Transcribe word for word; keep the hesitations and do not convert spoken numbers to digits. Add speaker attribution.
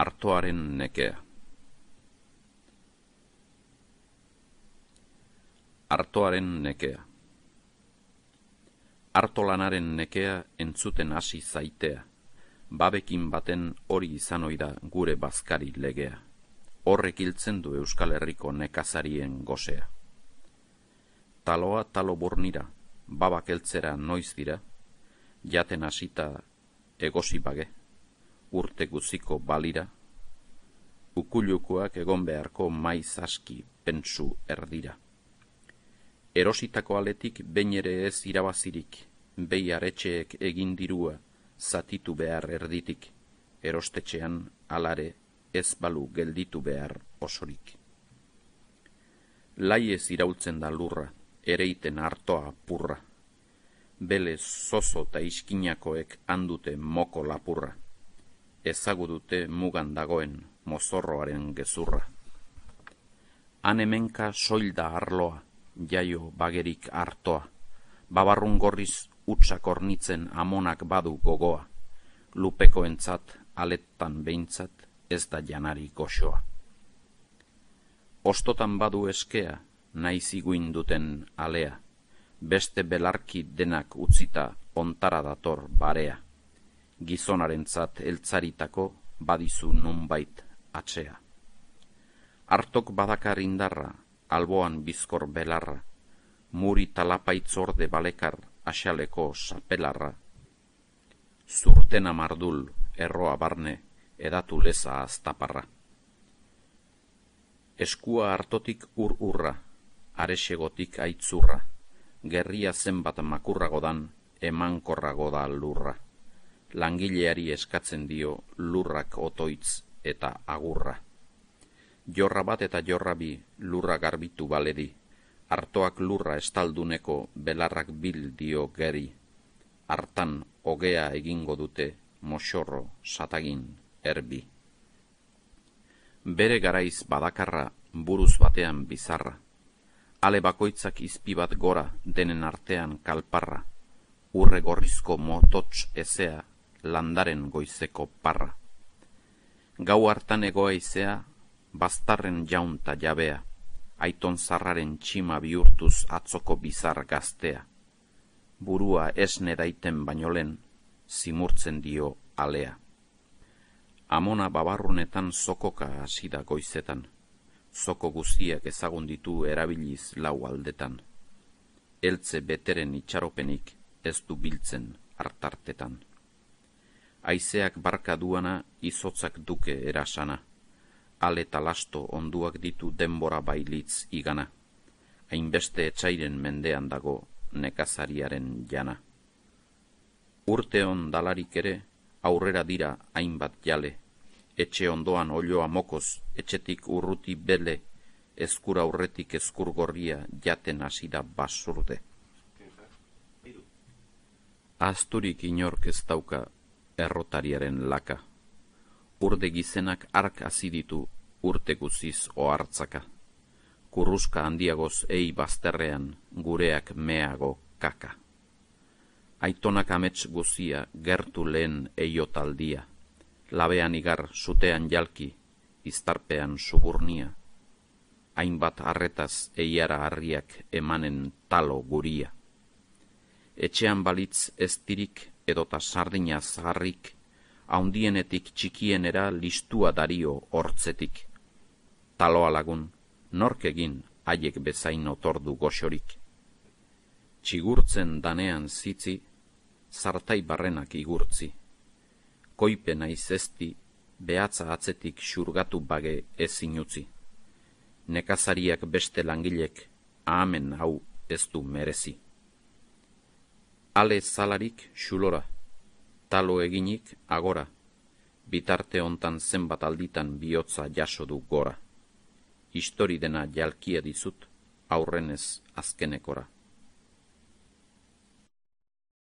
Speaker 1: Artoaren nekea. Artoaren nekea. Artolanaren nekea entzuten hasi zaitea, babekin baten hori izan ohi da gure bazkari legea, horrek hiltzen du Euskal Herriko nekazarien gosea. Taloa talo burnira, babak heltzera noiz dira, jaten hasita egosi bage, urte guziko balira, ukulukoak egon beharko maiz aski pentsu erdira. Erositako aletik behin ere ez irabazirik, behi aretxeek egin dirua zatitu behar erditik, erostetxean alare ez balu gelditu behar osorik. Lai ez iraultzen da lurra, ereiten artoa purra, bele zozo eta iskinakoek handute moko lapurra, ezagu dute mugan dagoen mozorroaren gezurra. Han hemenka soilda arloa, jaio bagerik artoa, babarrun gorriz utsak ornitzen amonak badu gogoa, lupekoentzat aletan behintzat ez da janari goxoa. Ostotan badu eskea, naiz iguin duten alea, beste belarki denak utzita ontara dator barea, gizonarentzat eltzaritako badizu nunbait atzea. Artok badakar indarra, alboan bizkor belarra, muri talapaitzorde balekar asaleko sapelarra, zurtena mardul erroa barne edatu leza aztaparra. Eskua hartotik ur-urra, aresegotik aitzurra, gerria zenbat makurragodan emankorrago da lurra, langileari eskatzen dio lurrak otoitz eta agurra. Jorra bat eta jorra bi lurra garbitu baledi, artoak lurra estalduneko belarrak bil dio geri, hartan ogea egingo dute moxorro satagin erbi. Bere garaiz badakarra buruz batean bizarra, ale bakoitzak izpi bat gora denen artean kalparra, urre gorrizko motots ezea landaren goizeko parra. Gau hartan egoa izea, baztarren jaunta jabea, aiton zarraren txima bihurtuz atzoko bizar gaztea. Burua esne daiten baino lehen, zimurtzen dio alea. Amona babarrunetan zokoka hasi da goizetan, zoko guztiak ezagun ditu erabiliz lau aldetan. Eltze beteren itxaropenik ez du biltzen hartartetan. Haizeak barka duana izotzak duke erasana, ale talasto onduak ditu denbora bailitz igana, hainbeste etxairen mendean dago nekazariaren jana. Urte on dalarik ere, aurrera dira hainbat jale, etxe ondoan olioa mokoz, etxetik urruti bele, ezkur aurretik ezkur gorria jaten hasida basurde. Asturik inork ez dauka errotariaren laka, urde gizenak ark aziditu urte guziz ohartzaka, kurruska handiagoz ei bazterrean gureak meago kaka. Aitonak amets guzia gertu lehen eiotaldia, labean igar sutean jalki, iztarpean suburnia, hainbat arretaz eiara harriak emanen talo guria. Etxean balitz ez tirik edota sardina zaharrik, haundienetik txikienera listua dario hortzetik. Taloa lagun, nork egin haiek bezain otordu goxorik. Txigurtzen danean zitzi, zartai barrenak igurtzi. Koipe naiz ezti, behatza atzetik xurgatu bage ezin utzi. Nekazariak beste langilek, ahamen hau ez du merezi. Ale zalarik xulora, talo eginik agora, bitarte hontan zenbat alditan bihotza jaso du gora. Histori dena jalkia dizut, aurrenez azkenekora.